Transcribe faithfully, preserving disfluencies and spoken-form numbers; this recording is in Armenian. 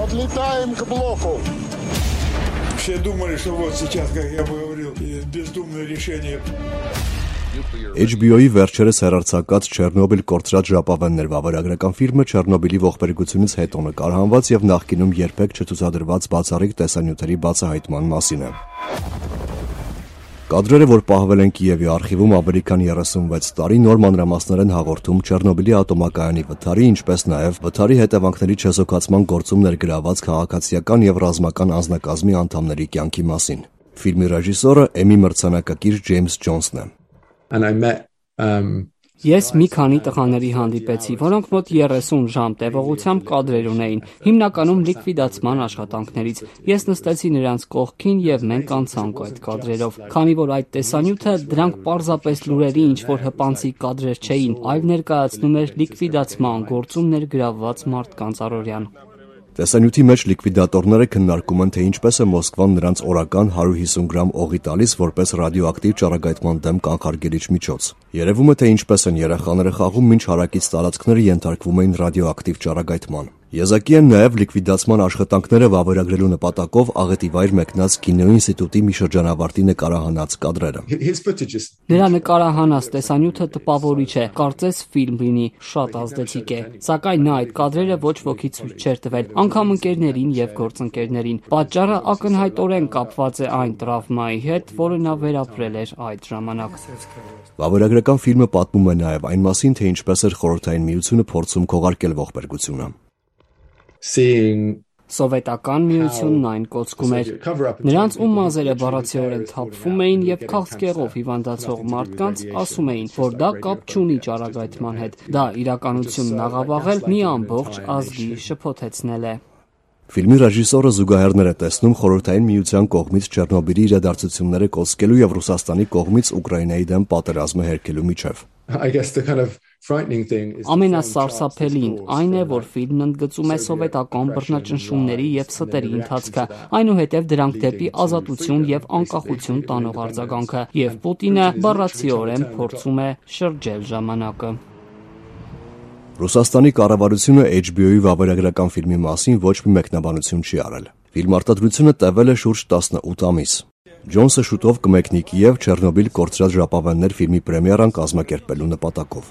Подлетаем к блоку. Все думали, что вот сейчас, как я говорил, бездумное решение. H B O-ի վերջերս հեռարձակած Չեռնոբիլ կորցրած ժապավեններ վավերագրական ֆիլմը Չեռնոբիլի ողբերգությունից հետո նկարահանված եւ նախկինում երբեք չցուցադրված բացառիկ տեսանյութերի բացահայտման մասին է։ Կադրերը, որ պահվել են Կիևի արխիվում ավելի քան երեսունվեց տարի, նոր մանրամասներ են հաղորդում Չեռնոբիլի ատոմակայանի վթարի, ինչպես նաև վթարի հետևանքների չեզոքացման գործում ներգրաված քաղաքացիական եւ ռազմական անձնակազմի անդամների կյանքի մասին։ Ֆիլմի ռեժիսորը Էմի մրցանակակիր Ջեյմս Ջոնսն է։ And I met um Ես մի քանի տղաների հանդիպեցի, որոնք մոտ երեսուն ժամ տևողությամբ կադրեր ունեին, հիմնականում լիկվիդացման աշխատանքներից։ Ես նստեցի նրանց կողքին եւ մենք անցանք այդ կադրերով, քանի որ այդ տեսանյութը դրանք պարզապես լուրերի ինչ-որ հպանցիկ կադրեր չէին, այլ ներկայացնում էր լիկվիդացման գործում ներգրավված մարդկանց առօրյան։ Տեսանյութի մեջ լիկվիդատորները քննարկում են, թե ինչպես է Մոսկվան նրանց օրական հարյուր հիսուն գրամ օղի տալիս որպես ռադիոակտիվ ճառագայթման դեմ կանխարգելիչ միջոց։ Երևում է, թե ինչպես են երեխաները խաղում, մինչ հարակից տարածքները ենթարկվում էին ռադիոակտիվ ճառագայթման։ Եզակի են նաև լիկվիդացման աշխատանքները վավերագրելու նպատակով աղետի վայր մեկնած Կինո ինստիտուտի մի շրջանավարտի նկարահանած կադրերը։ Նրա նկարահանած տեսանյութը տպավորիչ է, կարծես ֆիլմ լինի, շատ ազդեցիկ է, սակայն նա այդ կադրերը ոչ ոքի ցույց չէր տվել, անգամ ընկերներին եւ գործընկերներին։ Պատճառը ակնհայտորեն կապված է այն տրավմայի հետ, որը նա վերապրել էր այդ ժամանակ։ Վավերագրական ֆիլմը պատմում է նաև այն մասին, թե ինչպես էր Խորհրդային Միությունը փորձում քողարկել ողբերգությունը։ Seeing Սովետական միությունն այն կոծկում էր։ Նրանց ում մազերը բառացիորեն թափվում էին եւ քաղցկեղով հիվանդացող մարդկանց ասում էին, որ դա կապ չունի ճառագայթման հետ։ Դա իրականությունն աղավաղել մի ամբողջ ազգի շփոթեցնել է։ Ֆիլմի ռեժիսորը զուգահեռներ է տեսնում Խորհրդային Միության կողմից Չեռնոբիլի իրադարձությունները կոծկելու եւ Ռուսաստանի կողմից Ուկրաինայի դեմ պատերազմը հերքելու միջև։ I guess the kind of frightening thing is Ամենասարսափելին այն է, որ ֆիլմն ընդգծում է սովետական բռնաճնշումների եւ ստերի ընթացքը, այնուհետև դրանք դեպի ազատություն եւ անկախություն տանող արձագանքը, եւ Պուտինը բառացիորեն փորձում է շրջել ժամանակը։ Ռուսաստանի կառավարությունը H B O-ի վավերագրական ֆիլմի մասին ոչ մի մեկնաբանություն չի արել։ Ֆիլմարտադրությունը տևել է շուրջ տասնութ ամիս։ Ջոնսը շուտով կմեկնի Կիև Չեռնոբիլ կորցրած ժապավեններ ֆիլմի պրեմիերան կազմակերպելու նպատակով։